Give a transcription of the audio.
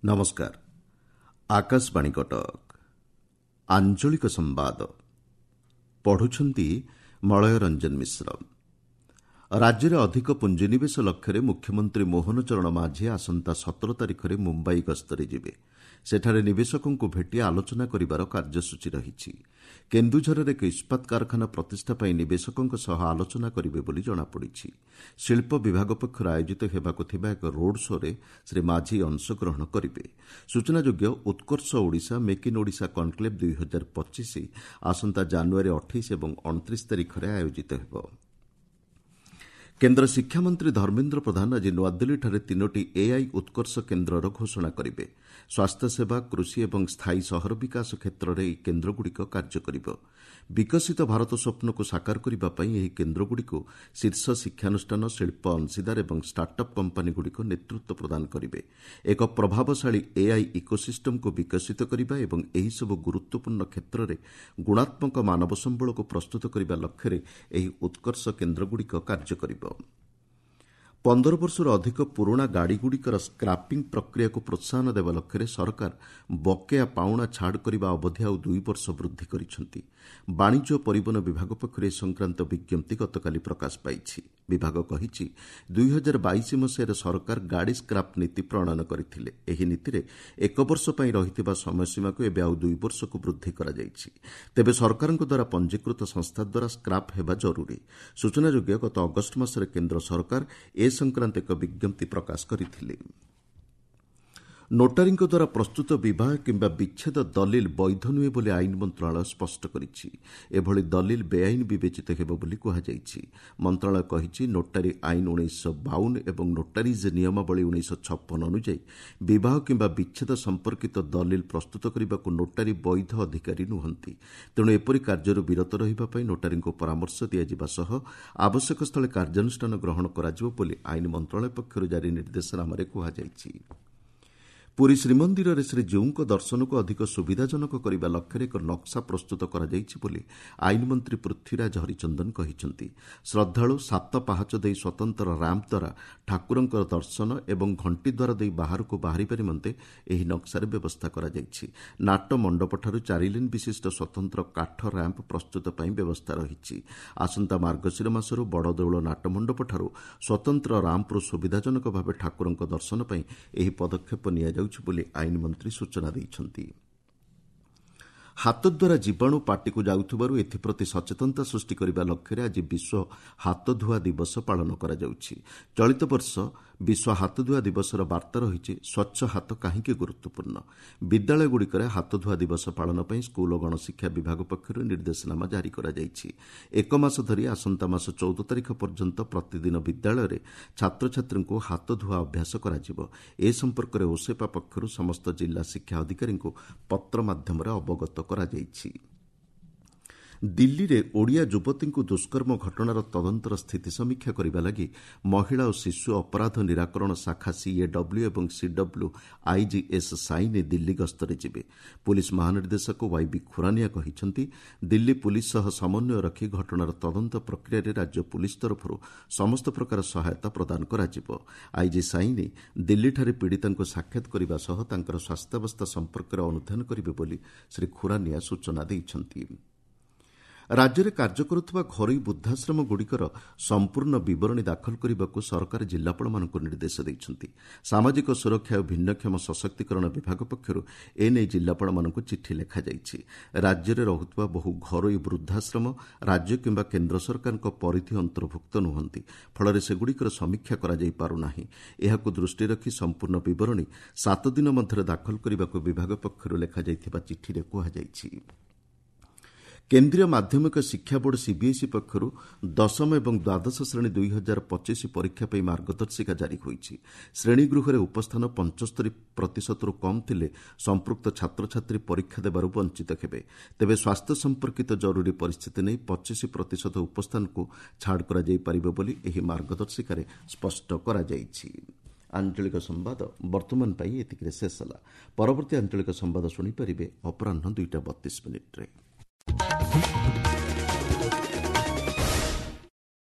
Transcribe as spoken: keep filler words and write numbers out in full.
ନମସ୍କାର ଆକାଶବାଣୀ କଟକ ଆଞ୍ଚଳିକ ସମ୍ବାଦ ପଢୁଛନ୍ତି ମଳୟ ରଞ୍ଜନ ମିଶ୍ର ରାଜ୍ୟରେ ଅଧିକ ପୁଞ୍ଜିନିବେଶ ଲକ୍ଷ୍ୟରେ ମୁଖ୍ୟମନ୍ତ୍ରୀ ମୋହନ ଚରଣ ମାଝୀ ଆସନ୍ତା ସତର ତାରିଖରେ ମୁମ୍ବାଇ ଗସ୍ତରେ ଯିବେ ସେଠାରେ ନିବେଶକଙ୍କୁ ଭେଟି ଆଲୋଚନା କରିବାର କାର୍ଯ୍ୟସୂଚୀ ରହିଛି କେନ୍ଦୁଝରରେ ଏକ ଇସ୍ପାତ କାରଖାନା ପ୍ରତିଷ୍ଠା ପାଇଁ ନିବେଶକଙ୍କ ସହ ଆଲୋଚନା କରିବେ ବୋଲି ଜଣାପଡ଼ିଛି ଶିଳ୍ପ ବିଭାଗ ପକ୍ଷରୁ ଆୟୋଜିତ ହେବାକୁ ଥିବା ଏକ ରୋଡ୍ ଶୋ'ରେ ଶ୍ରୀ ମାଝୀ ଅଂଶଗ୍ରହଣ କରିବେ ସୂଚନାଯୋଗ୍ୟ Utkarsh Odisha make in Odisha conclave ଦୁଇ ହଜାର ପଚିଶ ଆସନ୍ତା ଜାନୁଆରୀ ଅଠେଇଶ ଏବଂ ଅଣତିରିଶ ତାରିଖରେ ଆୟୋଜିତ ହେବ କେନ୍ଦ୍ର ଶିକ୍ଷାମନ୍ତ୍ରୀ ଧର୍ମେନ୍ଦ୍ର ପ୍ରଧାନ ଆଜି ନୂଆଦିଲ୍ଲୀଠାରେ ତିନୋଟି ଏଆଇ ଉତ୍କର୍ଷ କେନ୍ଦ୍ରର ଘୋଷଣା କରିବେ ସ୍ୱାସ୍ଥ୍ୟସେବା କୃଷି ଏବଂ ସ୍ଥାୟୀ ସହର ବିକାଶ କ୍ଷେତ୍ରରେ ଏହି କେନ୍ଦ୍ରଗୁଡ଼ିକ କାର୍ଯ୍ୟ କରିବ ବିକଶିତ ଭାରତ ସ୍ୱପ୍ନକୁ ସାକାର କରିବା ପାଇଁ ଏହି କେନ୍ଦ୍ରଗୁଡ଼ିକୁ ଶୀର୍ଷ ଶିକ୍ଷାନୁଷ୍ଠାନ ଶିଳ୍ପ ଅଂଶୀଦାର ଏବଂ ଷ୍ଟାର୍ଟ ଅପ୍ କମ୍ପାନୀଗୁଡ଼ିକ ନେତୃତ୍ୱ ପ୍ରଦାନ କରିବେ ଏକ ପ୍ରଭାବଶାଳୀ ଏଆଇ ଇକୋସିଷ୍ଟମକୁ ବିକଶିତ କରିବା ଏବଂ ଏହିସବୁ ଗୁରୁତ୍ୱପୂର୍ଣ୍ଣ କ୍ଷେତ୍ରରେ ଗୁଣାତ୍ମକ ମାନବ ସମ୍ବଳକୁ ପ୍ରସ୍ତୁତ କରିବା ଲକ୍ଷ୍ୟରେ ଏହି ଉତ୍କର୍ଷ କେନ୍ଦ୍ରଗୁଡ଼ିକ କାର୍ଯ୍ୟ କରିବ ପନ୍ଦର ବର୍ଷରୁ ଅଧିକ ପୁରୁଣା ଗାଡ଼ିଗୁଡ଼ିକର ସ୍କ୍ରାପିଂ ପ୍ରକ୍ରିୟାକୁ ପ୍ରୋତ୍ସାହନ ଦେବା ଲକ୍ଷ୍ୟରେ ସରକାର ବକେୟା ପାଉଣା ଛାଡ଼ କରିବା ଅବଧି ଆଉ ଦୁଇ ବର୍ଷ ବୃଦ୍ଧି କରିଛନ୍ତି ବାଣିଜ୍ୟ ଓ ପରିବହନ ବିଭାଗ ପକ୍ଷରୁ ଏ ସଂକ୍ରାନ୍ତ ବିଜ୍ଞପ୍ତି ଗତକାଲି ପ୍ରକାଶ ପାଇଛି ବିଭାଗ କହିଛି ଦୁଇ ହଜାର ବାଇଶ ମସିହାରେ ସରକାର ଗାଡ଼ି ସ୍କ୍ରାପ୍ ନୀତି ପ୍ରଣୟନ କରିଥିଲେ ଏହି ନୀତିରେ ଏକ ବର୍ଷ ପାଇଁ ରହିଥିବା ସମୟସୀମାକୁ ଏବେ ଆଉ ଦୁଇ ବର୍ଷକୁ ବୃଦ୍ଧି କରାଯାଇଛି ତେବେ ସରକାରଙ୍କ ଦ୍ୱାରା ପଞ୍ଜୀକୃତ ସଂସ୍ଥା ଦ୍ୱାରା ସ୍କ୍ରାପ୍ ହେବା ଜରୁରୀ ସୂଚନାଯୋଗ୍ୟ ଗତ ଅଗଷ୍ଟ ମାସରେ କେନ୍ଦ୍ର ସରକାର ଏ ସଂକ୍ରାନ୍ତ ଏକ ବିଜ୍ଞପ୍ତି ପ୍ରକାଶ କରିଥିଲେ ନୋଟାରୀଙ୍କ ଦ୍ୱାରା ପ୍ରସ୍ତୁତ ବିବାହ କିମ୍ବା ବିଚ୍ଛେଦ ଦଲିଲ ବୈଧ ନୁହେଁ ବୋଲି ଆଇନ ମନ୍ତ୍ରଣାଳୟ ସ୍ପଷ୍ଟ କରିଛି ଏଭଳି ଦଲିଲ ବେଆଇନ ବିବେଚିତ ହେବ ବୋଲି କୁହାଯାଇଛି ମନ୍ତ୍ରଣାଳୟ କହିଛି ନୋଟାରୀ ଆଇନ ଉଣେଇଶହ ବାଉନ ଏବଂ ନୋଟାରିଜ୍ ନିୟମାବଳୀ ଉଣେଇଶହ ଛପନ ଅନୁଯାୟୀ ବିବାହ କିମ୍ବା ବିଚ୍ଛେଦ ସମ୍ପର୍କିତ ଦଲିଲ ପ୍ରସ୍ତୁତ କରିବାକୁ ନୋଟାରୀ ବୈଧ ଅଧିକାରୀ ନୁହନ୍ତି ତେଣୁ ଏପରି କାର୍ଯ୍ୟରୁ ବିରତ ରହିବା ପାଇଁ ନୋଟାରୀଙ୍କୁ ପରାମର୍ଶ ଦିଆଯିବା ସହ ଆବଶ୍ୟକ ସ୍ଥଳେ କାର୍ଯ୍ୟାନୁଷ୍ଠାନ ଗ୍ରହଣ କରାଯିବ ବୋଲି ଆଇନ ମନ୍ତ୍ରଣାଳୟ ପକ୍ଷରୁ ଜାରି ନିର୍ଦ୍ଦେଶନାମାରେ କୁହାଯାଇଛି ପୁରୀ ଶ୍ରୀମନ୍ଦିରରେ ଶ୍ରୀଜୀଉଙ୍କ ଦର୍ଶନକୁ ଅଧିକ ସୁବିଧାଜନକ କରିବା ଲକ୍ଷ୍ୟରେ ଏକ ନକ୍ସା ପ୍ରସ୍ତୁତ କରାଯାଇଛି ବୋଲି ଆଇନମନ୍ତ୍ରୀ ପୃଥ୍ୱୀରାଜ ହରିଚନ୍ଦନ କହିଛନ୍ତି ଶ୍ରଦ୍ଧାଳୁ ସାତ ପାହାଚ ଦେଇ ସ୍ୱତନ୍ତ୍ର ରାମ୍ପ ଦ୍ୱାରା ଠାକୁରଙ୍କ ଦର୍ଶନ ଏବଂ ଘଣ୍ଟିଦ୍ୱାର ଦେଇ ବାହାରକୁ ବାହାରିବା ନିମନ୍ତେ ଏହି ନକ୍ସାରେ ବ୍ୟବସ୍ଥା କରାଯାଇଛି ନାଟ ମଣ୍ଡପଠାରୁ ଚାରିଲେନ୍ ବିଶିଷ୍ଟ ସ୍ୱତନ୍ତ୍ର କାଠ ରାମ୍ପ ପ୍ରସ୍ତୁତ ପାଇଁ ବ୍ୟବସ୍ଥା ରହିଛି ଆସନ୍ତା ମାର୍ଗଶିର ମାସରୁ ବଡ଼ଦେଉଳ ନାଟମଣ୍ଡପଠାରୁ ସ୍ୱତନ୍ତ୍ର ରାମ୍ପରୁ ସୁବିଧାଜନକ ଭାବେ ଠାକୁରଙ୍କ ଦର୍ଶନ ପାଇଁ ଏହି ପଦକ୍ଷେପ ନିଆଯାଉଛି ବୋଲି ଆଇନ ମନ୍ତ୍ରୀ ସୂଚନା ଦେଇଛନ୍ତି ହାତ ଦ୍ୱାରା ଜୀବାଣୁ ପାଟିକୁ ଯାଉଥିବାରୁ ଏଥିପ୍ରତି ସଚେତନତା ସୃଷ୍ଟି କରିବା ଲକ୍ଷ୍ୟରେ ଆଜି ବିଶ୍ୱ ହାତଧୁଆ ଦିବସ ପାଳନ କରାଯାଉଛି ଚଳିତ ବର୍ଷ ବିଶ୍ୱ ହାତଧୁଆ ଦିବସର ବାର୍ତ୍ତା ରହିଛି ସ୍ୱଚ୍ଛ ହାତ କାହିଁକି ଗୁରୁତ୍ୱପୂର୍ଣ୍ଣ ବିଦ୍ୟାଳୟଗୁଡ଼ିକରେ ହାତଧୁଆ ଦିବସ ପାଳନ ପାଇଁ ସ୍କୁଲ ଓ ଗଣଶିକ୍ଷା ବିଭାଗ ପକ୍ଷରୁ ନିର୍ଦ୍ଦେଶନାମା ଜାରି କରାଯାଇଛି ଏକ ମାସ ଧରି ଆସନ୍ତା ମାସ ଚଉଦ ତାରିଖ ପର୍ଯ୍ୟନ୍ତ ପ୍ରତିଦିନ ବିଦ୍ୟାଳୟରେ ଛାତ୍ରଛାତ୍ରୀଙ୍କୁ ହାତଧୁଆ ଅଭ୍ୟାସ କରାଯିବ ଏ ସମ୍ପର୍କରେ ଓସେପା ପକ୍ଷରୁ ସମସ୍ତ ଜିଲ୍ଲା ଶିକ୍ଷା ଅଧିକାରୀଙ୍କୁ ପତ୍ର ମାଧ୍ୟମରେ ଅବଗତ କରାଯାଇଛି ଦିଲ୍ଲୀରେ ଓଡ଼ିଆ ଯୁବତୀଙ୍କୁ ଦୁଷ୍କର୍ମ ଘଟଣାର ତଦନ୍ତର ସ୍ଥିତି ସମୀକ୍ଷା କରିବା ଲାଗି ମହିଳା ଓ ଶିଶୁ ଅପରାଧ ନିରାକରଣ ଶାଖା ସିଏଡବ୍ଲ୍ୟୁ ଏବଂ ସିଡବ୍ଲ୍ୟୁ ଆଇଜିଏସ୍ ସାଇନି ଦିଲ୍ଲୀ ଗସ୍ତରେ ଯିବେ ପୁଲିସ୍ ମହାନିର୍ଦ୍ଦେଶକ ୱାଇବି ଖୁରାନିଆ କହିଛନ୍ତି ଦିଲ୍ଲୀ ପୁଲିସ୍ ସହ ସମନ୍ୱୟ ରଖି ଘଟଣାର ତଦନ୍ତ ପ୍ରକ୍ରିୟାରେ ରାଜ୍ୟ ପୁଲିସ୍ ତରଫରୁ ସମସ୍ତ ପ୍ରକାର ସହାୟତା ପ୍ରଦାନ କରାଯିବ ଆଇଜି ସାଇନି ଦିଲ୍ଲୀଠାରେ ପୀଡ଼ିତାଙ୍କୁ ସାକ୍ଷାତ କରିବା ସହ ତାଙ୍କର ସ୍ୱାସ୍ଥ୍ୟାବସ୍ଥା ସମ୍ପର୍କରେ ଅନୁଧ୍ୟାନ କରିବେ ବୋଲି ଶ୍ରୀ ଖୁରାନିଆ ସୂଚନା ଦେଇଛନ୍ତି ରାଜ୍ୟରେ କାର୍ଯ୍ୟ କରୁଥିବା ଘରୋଇ ବୃଦ୍ଧାଶ୍ରମଗୁଡ଼ିକର ସମ୍ପୂର୍ଣ୍ଣ ବିବରଣୀ ଦାଖଲ କରିବାକୁ ସରକାର ଜିଲ୍ଲାପାଳମାନଙ୍କୁ ନିର୍ଦ୍ଦେଶ ଦେଇଛନ୍ତି ସାମାଜିକ ସୁରକ୍ଷା ଓ ଭିନ୍ନକ୍ଷମ ସଶକ୍ତିକରଣ ବିଭାଗ ପକ୍ଷରୁ ଏନେଇ ଜିଲ୍ଲାପାଳମାନଙ୍କୁ ଚିଠି ଲେଖାଯାଇଛି ରାଜ୍ୟରେ ରହୁଥିବା ବହୁ ଘରୋଇ ବୃଦ୍ଧାଶ୍ରମ ରାଜ୍ୟ କିମ୍ବା କେନ୍ଦ୍ର ସରକାରଙ୍କ ପରିଧି ଅନ୍ତର୍ଭୁକ୍ତ ନୁହନ୍ତି ଫଳରେ ସେଗୁଡ଼ିକର ସମୀକ୍ଷା କରାଯାଇ ପାରୁନାହିଁ ଏହାକୁ ଦୃଷ୍ଟିରେ ରଖି ସମ୍ପୂର୍ଣ୍ଣ ବିବରଣୀ ସାତ ଦିନ ମଧ୍ୟରେ ଦାଖଲ କରିବାକୁ ବିଭାଗ ପକ୍ଷରୁ ଲେଖାଯାଇଥିବା ଚିଠିରେ କୁହାଯାଇଛି କେନ୍ଦ୍ରୀୟ ମାଧ୍ୟମିକ ଶିକ୍ଷା ବୋର୍ଡ ସିବିଏସ୍ଇ ପକ୍ଷରୁ ଦଶମ ଏବଂ ଦ୍ୱାଦଶ ଶ୍ରେଣୀ ଦୁଇ ହଜାର ପଚିଶ ପରୀକ୍ଷା ପାଇଁ ମାର୍ଗଦର୍ଶିକା ଜାରି ହୋଇଛି ଶ୍ରେଣୀଗୃହରେ ଉପସ୍ଥାନ ପଞ୍ଚସ୍ତରୀ ପ୍ରତିଶତରୁ କମ୍ ଥିଲେ ସମ୍ପୃକ୍ତ ଛାତ୍ରଛାତ୍ରୀ ପରୀକ୍ଷା ଦେବାରୁ ବଞ୍ଚିତ ହେବେ ତେବେ ସ୍ୱାସ୍ଥ୍ୟ ସମ୍ପର୍କିତ ଜରୁରୀ ପରିସ୍ଥିତି ନେଇ ପଚିଶ ପ୍ରତିଶତ ଉପସ୍ଥାନକୁ ଛାଡ଼ କରାଯାଇପାରିବ ବୋଲି ଏହି ମାର୍ଗଦର୍ଶିକାରେ ସ୍ପଷ୍ଟ କରାଯାଇଛି ଆଞ୍ଚଳିକ ସମ୍ବାଦ ବର୍ତ୍ତମାନ ପାଇଁ ଏତିକିରେ ଶେଷ ହେଲା ପରବର୍ତ୍ତୀ ଆଞ୍ଚଳିକ ସମ୍ବାଦ ଶୁଣିପାରିବେ ଅପରାହ୍ନ ଦୁଇଟା ବତିଶ ମିନିଟ୍ରେ।